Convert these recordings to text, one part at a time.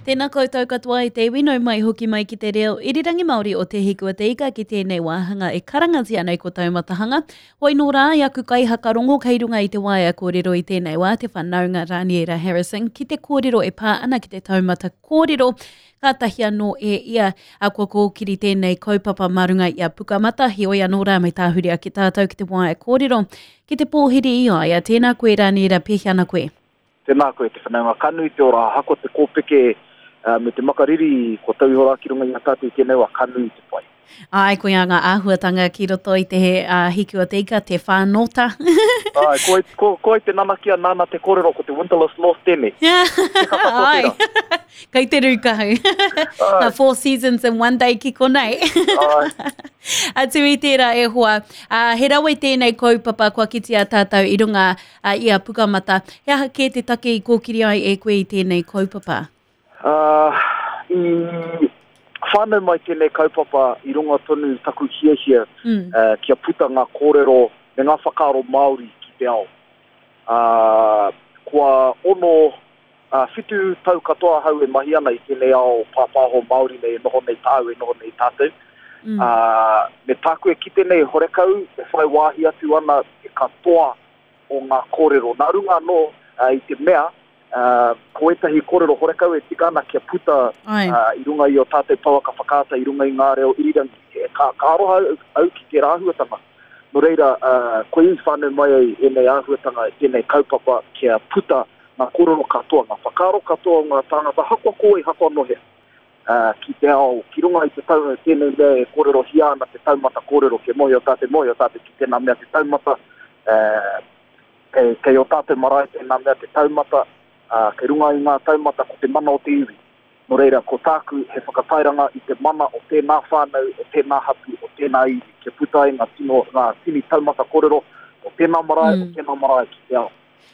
Tēnā koutou katoa i te iwi, nau mai hoki mai ki te reo irirangi Māori o Te Hiku a Te Ika ki tēnei wāhanga e karangatia nei ko Taumatahanga. Hoi nō rā i aku kaihakarongo kei runga i te waea kōrero i tēnei wā te whanaunga Raniera Harrison ki te kōrero e pā ana ki te taumata kōrero kātahi anō e ia a kua kōkiri tēnei kaupapa mā runga i a Pukamata, heoi anō rā me tāhuri ake tātou ki te waea kōrero ki te pōhiri i a ia. Tēnā koe Raniera, pēhea ana koe? Tēnā koe te whanaunga ka nui te ora ahakoa te kōpeke me te makariri kua tau iho rā ki runga i a tātou i tēnei wā ka nui te pai. Āe, koia ngā āhuatanga ki roto i te hiku o te ika, te whānōta. Āe, ko, ko, ko ai te nanakia nāna te kōrero ko te Winterless North tēnei. Te kata Āe, kei te rūkahu. Ngā four seasons in one day ki konei. Āe. Atu i tērā e hoa, he rawe tēnei kaupapa kua kitea tātou i runga ā, i a Pukamata. He aha kē te take i kōkiri ai e koe i tēnei kaupapa? Ā, i whānau mai tēnei kaupapa i runga tonu i taku hiahia mm. kia puta ngā kōrero me ngā whakaaro Māori ki te ao. Ā, kua ono, ā, whitu tau katoa ahau e mahi ana i tēnei ao pāpāho Māori nei e noho nei tāu, e noho nei tātou. Mm. Ā, me tāku e kite nei horekau e whai wāhi atu ana te katoa o ngā kōrero. Nā runga anō i te mea, ko ētahi kōrero horekau e tika ana kia puta i runga i ō tātou pouaka whakaata, i runga i ngā reo irirangi. Ka, ka aroha au, au ki tērā āhuatanga. Nō reira, koia i whānau mai ai ēnei āhuatanga, tēnei kaupapa kia puta ngā kōrero katoa, ngā whakaaro katoa o ngā tāngata, hakoa ko wai, hakoa nō hea. Ki te ao, ki runga i te tau, tēnei mea e kōrerohia ana te taumata kōrero, kia mōhio tātou, mōhio tātou ki tēnā mea te taumata, kei, kei ō tātou marae tēnā mea te taumata, ā, kei runga i ngā taumata ko te mana o te iwi. Nō reira, ko tāku he whakatairanga i te mana o tēnā whānau, o tēnā hapū, o tēnā iwi, kia puta ai ngā tino, ngā tini taumata kōrero o tēnā marae, o tēnā marae ki te ao.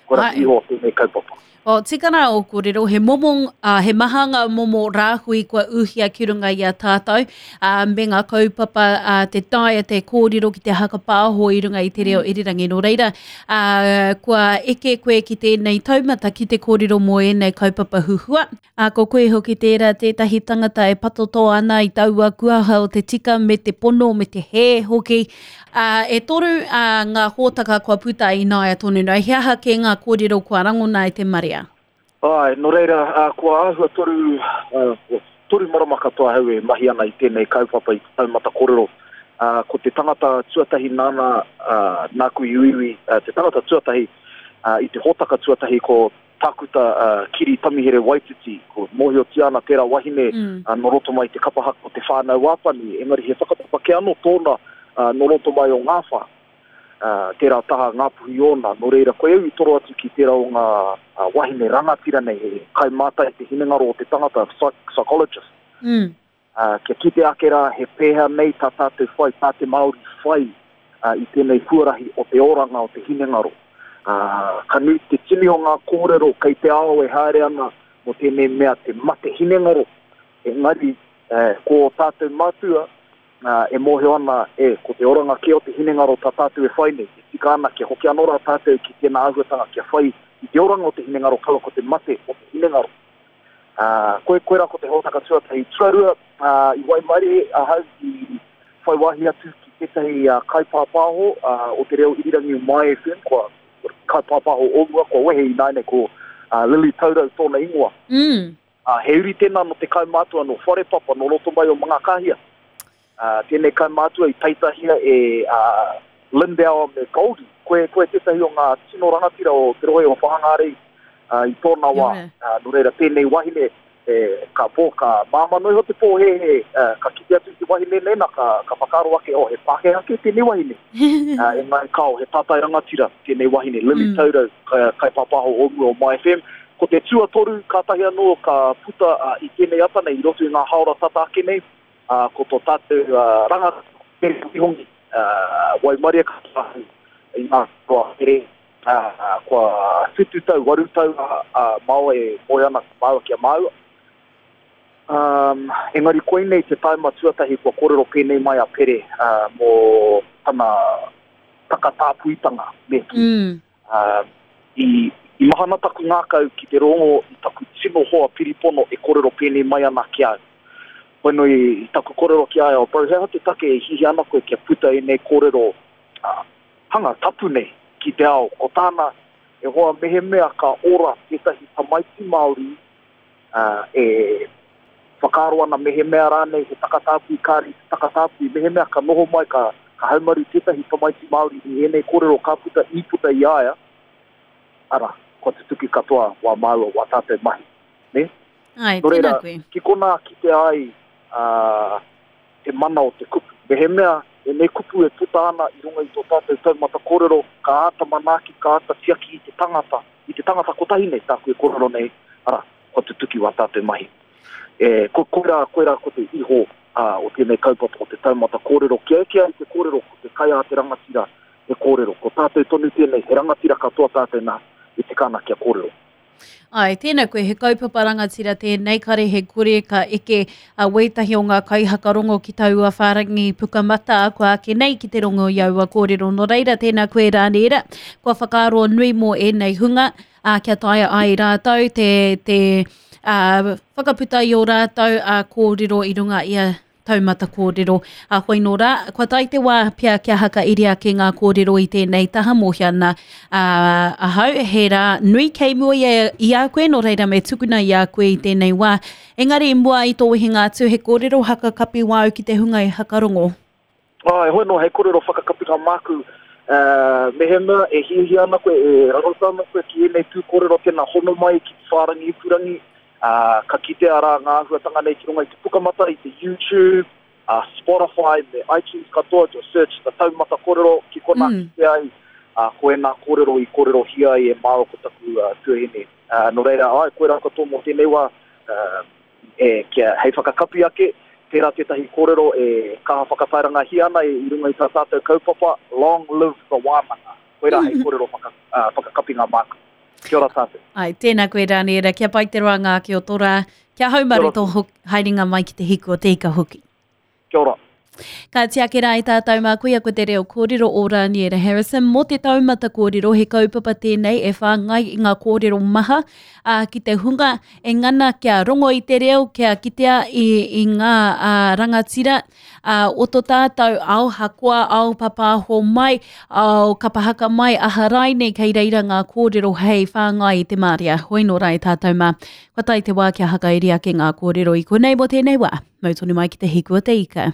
Kua rapu iho tēnei kaupapa. O, tika rā ō kōrero, he momo, ā, he maha ngā momo rāhui kua ūhia ki runga i a tātou, ā, me ngā kaupapa, ā, te taea te kōrero ki te hakapāho i runga i te reo irirangi. Nō reira, ā, kua eke koe ki tēnei taumata ki te kōrero mō ēnei kaupapa huhua. Ā, ko koe hoki tērā tētahi tangata e patoto ana i taua kuaha o te tika me te pono me te hē hoki. Ā, e toru ā, ngā hōtaka kua puta ināia tonu nei. He aha kē ngā kōrero kua rangona e te marea? Āe, nō reira, ā, kua āhua toru, ā, toru marama katoa ahau e mahi ana i tēnei kaupapa i te taumata kōrero. Ā, ko te tangata tuatahi nāna, ā, nāku i uiui, ā, te tangata tuatahi, ā, i te hōtaka tuatahi ko Tākuta Kiri Tamihere Waititi, ko mōhiotia ana tērā wahine mm. nō roto mai te kapa haka o Te Whānau Āpani, engari he whakapapa kē anō tōna nō roto mai o Ngāwhā. Tērā taha Ngāpuhi ōna, nō reira koe au i toro atu ki tērā o ngā wahine rangatira nei, he kaimātai te hinengaro o te tangata, psychologist. Mm. Ā, kia kite ake rā he pēhea nei tā tātou whai, tā te Māori whai i tēnei huarahi o te oranga o te hinengaro. Ā, ka nui te tini o ngā kōrero kei te ao e haere ana mō tēnei mea te mate hinengaro, engari ko ō tātou mātua e mōhio ana, e, ko te oranga kē o te hinengaro tā tātou e whai nei, e tika ana kia hoki anō rā tātou ki tēnā āhuatanga kia whai i te oranga o te hinengaro kaua ko te mate o te hinengaro. Ā, koe, koirā ko te hōtaka tuatahi. Tuarua, ā, i waimarie ahau i whai wāhi atu ki tētahi kaipāpāho o te reo irirangi o My FM, kua, kaipāpāho o mua, kua wehe ināianei ko Lily Taurau tōna ingoa. Mm. Ā, he uri tēnā nō te kaumātua nō Wharepapa, nō roto mai o Mangakāhia. Ā, tēnei kaumātua i peitahia e ā, Lindauer me Goldie. Koe, koe tētahi o ngā tino rangatira o te rohe o Whāngārei ā, i tōna wā. Ā, nō reira, tēnei wahine, e, ka pō, ka māmā noa iho te pōhēhē, ā, ka kite atu i te wahine nei, nā, ka, ka whakaaro ake, oh, he Pākehā kē tēnei wahine. Ā, engari kāo, he tātai rangatira tēnei wahine, Lily mm. Taurau, ka, kaipāpāho o mua o My FM. Ko te tuatoru, kātahi anō ka puta ā, i tēnei ata nei, i roto i ngā hāora tata ake nei, ā, ko tō tātou rangatira, Mere Wihongi, ā, waimarie katoa ahau i ngā katoa here, ā, kua whitu tau, waru tau a Mao e moe ana māua ki a māua. Ā, engari koinei te taima tuatahi kua kōrero pēnei mai a Pere, ā, mō tana takatāpuitanga, me kī. Mm. Ā, I, i mahana taku ngākau ki te rongo i taku tino hoa piripono e kōrero pēnei mai ana ki a au. Hoi nō i taku kōrero ki a ia, oh bro, he aha te take e hiahia ana koe kia puta ēnei kōrero hanga tapu nei ki te ao? Ko tāna, e hoa, mehemea ka ora tētahi tamaiti Māori e whakaaro ana mehemea rānei he takatāpui kāre i te takatāpui, mehemea ka noho mai ka, ka haumaru tētahi tamaiti Māori i ēnei kōrero ka puta i puta i a ia, ara, kua tutuki katoa wā māua, wā tātou mahi. Nē? Āe, Nō reira, tēnā koe. Ki konā kitea ai ā, te mana o te kupu. Mehemea ēnei kupu e puta ana i runga i tō tātou taumata kōrero, ka āta manaaki, ka āta tiaki i te tangata, i te tangata kotahi nei tāku e kōrero nei, arā, kua tutuki wā tātou mahi. E, ko, koirā, koirā ko te iho ā, o tēnei kaupapa o te taumata kōrero. Kia eke ai te kōrero, ko te kai a te rangatira he kōrero. Ko tātou tonu tēnei, he rangatira katoa tātou nā, e tika ana kia kōrero. Āe, tēnā koe, he kaupapa rangatira tēnei, kare he kore ka eke a wētahi o ngā kaihakarongo ki taua whārangi pukamata kua ake nei ki te rongo i aua kōrero. Nō reira, tēnā koe Rāniera, kua whakaaro nui mō ēnei hunga, ā, kia taea ai rātou te, te ā, whakaputa i ō rātou ā, kōrero i runga i a taumata kōrero. A hoi nō rā, kua tae te wā pea kia hakairi ake ngā kōrero i tēnei taha mōhio ana a, ahau, he rā nui kei mua i a, i a koe, nō reira me tukuna i a koe i tēnei wā. Engari i mua i tō wehenga atu, he kōrero hakakapi wāu ki te hunga i hakarongo. Āe, hoi nō, hei kōrero whakakapinga māku, uh, mehemea e hiahia ana koe, e rarota ana koe ki ēnei tū kōrero, tēnā hono mai ki te whārangi ipurangi, ā, ka kitea rā ngā āhuatanga nei ki runga i te Pukamata, i te YouTube, ā, Spotify me iTunes katoa, just search the Taumata Kōrero ki konā mm. kite ai, ā, ko ēnā kōrero i kōrerohia ai e māua ko taku uh, tuahine. Ā, nō reira, āe, koirā katoa mō tēnei wā, uh, e, kia, hei whakakapi ake, tērā tētahi kōrero e kaha whakatairangahia ana i runga i tā tātou kaupapa, Long Live the Wānanga. Koirā hei kōrero whaka, uh, whakakapinga māku. Kia ora tātou. Ai, tēnā koe Raniera, kia pai te roanga ake o tō rā, kia haumaru tō haerenga mai ki te hiku o te ika hoki. Kia ora. Ka tiaki rā i tātou mā koia ko te reo kōrero o Raniera Harrison mō te taumata kōrero he kaupapa tēnei e whāngai i ngā kōrero maha ā, ki te hunga e ngana kia rongo i te reo, kia kitea i, i ngā ā, rangatira ā, o to tātou ao hakoa, ao papāho mai, ao kapa haka mai, aha raine kei reira ngā kōrero hei whāngai i te māria. Hoi nō rā e tātou mā. Kua tae te wā kia hakairi ake ngā kōrero i konei mō tēnei wā. Mau tonu mai ki te hiku o te ika.